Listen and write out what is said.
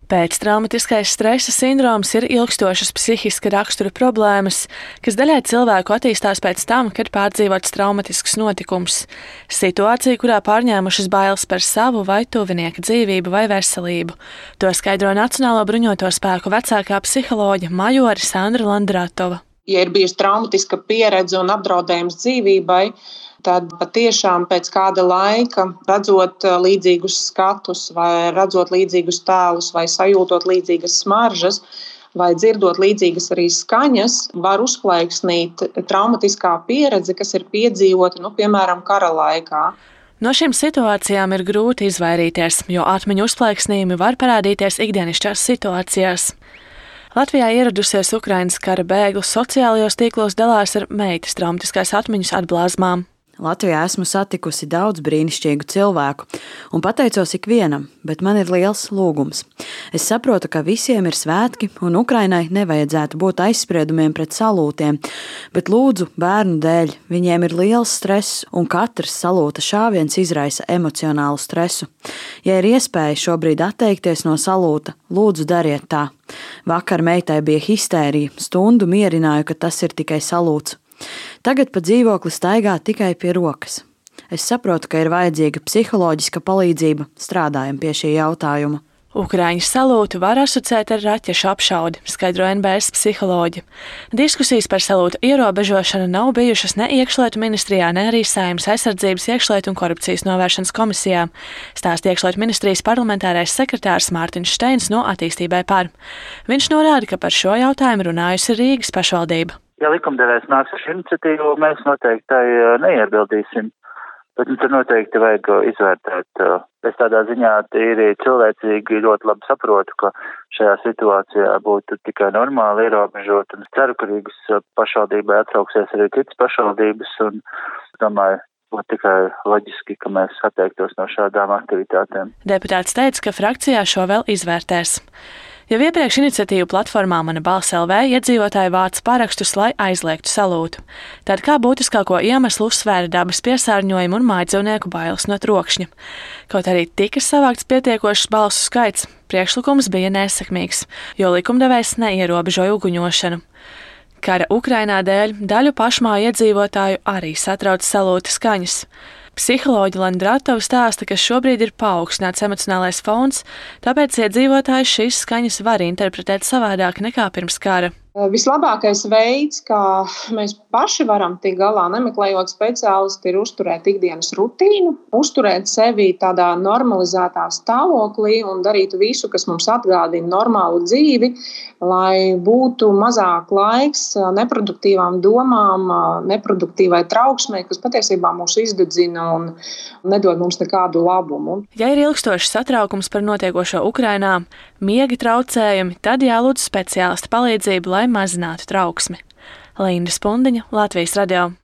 Pēctraumatiskais stresa sindroms ir ilgstošas psihiska rakstura problēmas, kas daļai cilvēku attīstās pēc tam, kad pārdzīvots traumatisks notikums. Situācija, kurā pārņēmušas bailes par savu vai tuvinieka dzīvību vai veselību. To skaidro Nacionālo bruņoto spēku vecākā psiholoģe majore Sandra Landratova. Ja ir bijusi traumatiska pieredze un apdraudējums dzīvībai, tad patiešām pēc kāda laika, redzot līdzīgus skatus, vai redzot līdzīgus tēlus, vai sajūtot līdzīgas smaržas, vai dzirdot līdzīgas arī skaņas, var uzplaiksnīt traumatiskā pieredze, kas ir piedzīvota, piemēram, kara laikā. No šīm situācijām ir grūti izvairīties, jo atmiņu uzplaiksnījumi var parādīties ikdienišķās situācijās. Latvijā ieradusies Ukrainas kara bēgļu sociālajos tīklos dalās ar meitas traumatiskās atmiņas atblāzmām. Latvijā esmu satikusi daudz brīnišķīgu cilvēku un pateicos ikvienam, bet man ir liels lūgums. Es saprotu, ka visiem ir svētki un Ukrainai nevajadzētu būt aizspriedumiem pret salūtiem, bet lūdzu bērnu dēļ, viņiem ir liels stress un katrs salūta šāviens izraisa emocionālu stresu. Ja ir iespēja šobrīd atteikties no salūta, lūdzu dariet tā. Vakar meitai bija histērija, stundu mierināju, ka tas ir tikai salūts. Tagad pa dzīvokli staigā tikai pie rokas. Es saprotu, ka ir vajadzīga psiholoģiska palīdzība, strādājam pie šī jautājuma. Ukraiņu salūtu var asociēt ar raķešu apšaudi, skaidro NBS psiholoģi. Diskusijas par salūtu ierobežošanu nav bijušas ne iekšlietu ministrijā, ne arī Saeimas aizsardzības, iekšlietu un korupcijas novēršanas komisijā, stāsta iekšlietu ministrijas parlamentārais sekretārs Mārtiņš Steins no Attīstībai par. Viņš norāda, ka par šo jautājumu runājusi Rīgas pašvaldība. Ja likumdevējs nāks ar iniciatīvu, mēs noteikti neiebildīsim, bet tad noteikti vajag izvērtēt. Es tādā ziņā tīri cilvēcīgi ļoti labi saprotu, ka šajā situācijā būtu tikai normāli ierobežot, un es ceru, ka Rīgas pašvaldībai atsauksies arī citas pašvaldības, un domāju, būtu tikai loģiski, ka mēs atteiktos no šādām aktivitātēm. Deputāts teica, ka frakcijā šo vēl izvērtēs. Jau iepriekš iniciatīvu platformā Mana balss LV iedzīvotāji vāca parakstus, lai aizliegtu salūtu. Tad kā būtiskāko iemeslu uzsvēra dabas piesārņojumu un mājdzīvnieku bailes no trokšņa. Kaut arī tika savākts pietiekošs balsu skaits, priekšlikums bija nesekmīgs, jo likumdevējs neierobežoja uguņošanu. Kara Ukrainā dēļ daļu pašmāju iedzīvotāju arī satrauc salūta skaņas. Psiholoģe Landratova stāsta, ka šobrīd ir paaugstināts emocionālais fons, tāpēc iedzīvotāji šīs skaņas var interpretēt savādāk nekā pirms kara. Vislabākais veids, kā mēs paši varam tikt galā, nemeklējot speciālistu, ir uzturēt ikdienas rutīnu, uzturēt sevi tādā normalizētā stāvoklī un darīt visu, kas mums atgādina normālu dzīvi, lai būtu mazāk laiks neproduktīvām domām, neproduktīvai trauksmei, kas patiesībā mūs izdedzina un nedod mums nekādu labumu. Ja ir ilgstošs satraukums par notiekošo Ukrainā, miega traucējumi, tad jālūdz speciālista palīdzību, lai mazinātu trauksmi. Linda Spundiņa, Latvijas radio.